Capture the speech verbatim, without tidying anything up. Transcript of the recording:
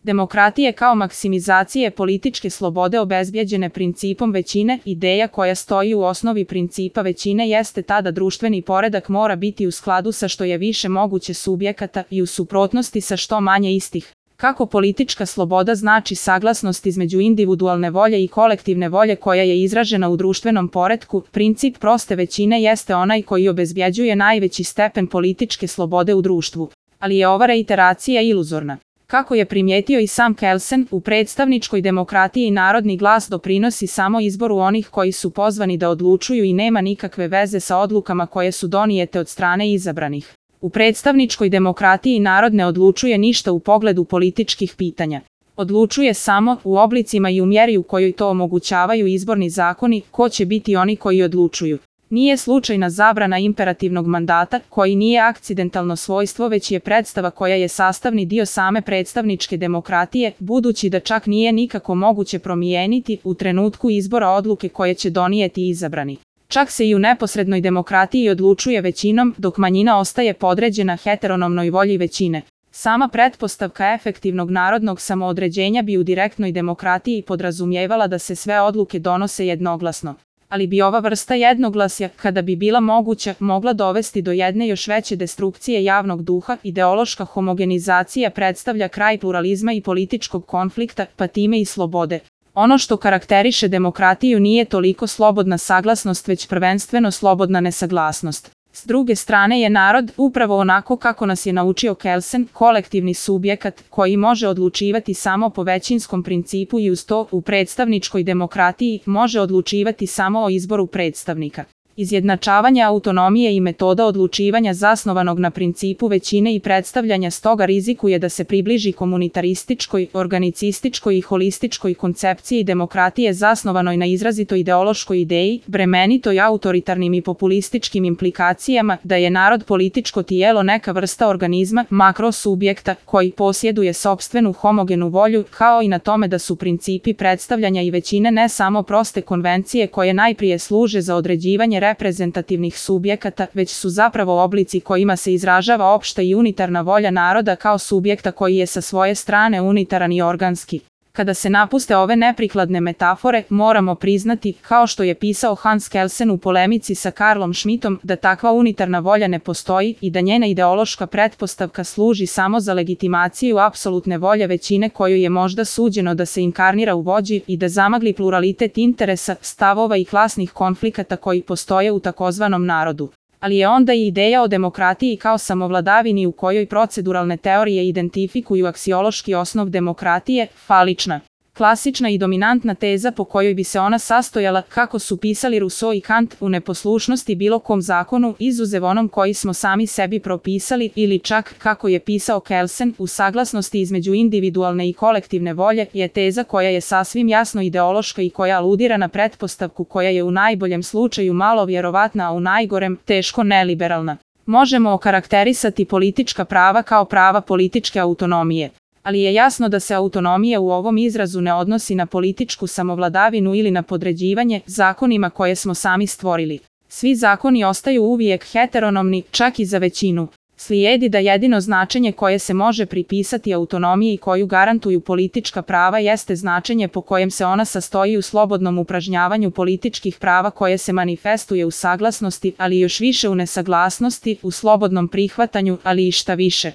Demokratije kao maksimizacije političke slobode obezbjeđene principom većine, ideja koja stoji u osnovi principa većine jeste ta da društveni poredak mora biti u skladu sa što je više moguće subjekata i u suprotnosti sa što manje istih. Kako politička sloboda znači saglasnost između individualne volje i kolektivne volje koja je izražena u društvenom poretku, princip proste većine jeste onaj koji obezbjeđuje najveći stepen političke slobode u društvu. Ali je ova reiteracija iluzorna. Kako je primijetio i sam Kelsen, u predstavničkoj demokratiji narodni glas doprinosi samo izboru onih koji su pozvani da odlučuju i nema nikakve veze sa odlukama koje su donijete od strane izabranih. U predstavničkoj demokratiji narod ne odlučuje ništa u pogledu političkih pitanja. Odlučuje samo, u oblicima i u mjeri u kojoj to omogućavaju izborni zakoni, ko će biti oni koji odlučuju. Nije slučajna zabrana imperativnog mandata, koji nije akcidentalno svojstvo već je predstava koja je sastavni dio same predstavničke demokratije, budući da čak nije nikako moguće promijeniti u trenutku izbora odluke koje će donijeti izabrani. Čak se i u neposrednoj demokratiji odlučuje većinom, dok manjina ostaje podređena heteronomnoj volji većine. Sama pretpostavka efektivnog narodnog samoodređenja bi u direktnoj demokratiji podrazumijevala da se sve odluke donose jednoglasno. Ali bi ova vrsta jednoglasja, kada bi bila moguća, mogla dovesti do jedne još veće destrukcije javnog duha. Ideološka homogenizacija predstavlja kraj pluralizma i političkog konflikta, pa time i slobode. Ono što karakteriše demokratiju nije toliko slobodna saglasnost, već prvenstveno slobodna nesaglasnost. S druge strane je narod, upravo onako kako nas je naučio Kelsen, kolektivni subjekat koji može odlučivati samo po većinskom principu i uz to, u predstavničkoj demokratiji, može odlučivati samo o izboru predstavnika. Izjednačavanje autonomije i metoda odlučivanja zasnovanog na principu većine i predstavljanja stoga rizikuje da se približi komunitarističkoj, organicističkoj i holističkoj koncepciji demokratije zasnovanoj na izrazito ideološkoj ideji, bremenitoj autoritarnim i populističkim implikacijama, da je narod političko tijelo neka vrsta organizma, makrosubjekta, koji posjeduje sopstvenu homogenu volju, kao i na tome da su principi predstavljanja i većine ne samo proste konvencije koje najprije služe za određivanje reprezentativnih subjekata, već su zapravo oblici kojima se izražava opšta i unitarna volja naroda kao subjekta koji je sa svoje strane unitaran i organski. Kada se napuste ove neprikladne metafore, moramo priznati, kao što je pisao Hans Kelsen u polemici sa Karlom Schmittom, da takva unitarna volja ne postoji i da njena ideološka pretpostavka služi samo za legitimaciju apsolutne volje većine koju je možda suđeno da se inkarnira u vođi i da zamagli pluralitet interesa, stavova i klasnih konflikata koji postoje u takozvanom narodu. Ali je onda i ideja o demokratiji kao samovladavini u kojoj proceduralne teorije identifikuju aksiološki osnov demokratije, falična. Klasična i dominantna teza po kojoj bi se ona sastojala, kako su pisali Rousseau i Kant, u neposlušnosti bilo kom zakonu, izuzev onom koji smo sami sebi propisali, ili čak, kako je pisao Kelsen, u saglasnosti između individualne i kolektivne volje, je teza koja je sasvim jasno ideološka i koja aludira na pretpostavku koja je u najboljem slučaju malo vjerovatna, a u najgorem, teško neliberalna. Možemo okarakterisati politička prava kao prava političke autonomije. Ali je jasno da se autonomija u ovom izrazu ne odnosi na političku samovladavinu ili na podređivanje zakonima koje smo sami stvorili. Svi zakoni ostaju uvijek heteronomni, čak i za većinu. Slijedi da jedino značenje koje se može pripisati autonomiji koju garantuju politička prava jeste značenje po kojem se ona sastoji u slobodnom upražnjavanju političkih prava koje se manifestuje u saglasnosti, ali još više u nesaglasnosti, u slobodnom prihvatanju, ali i šta više.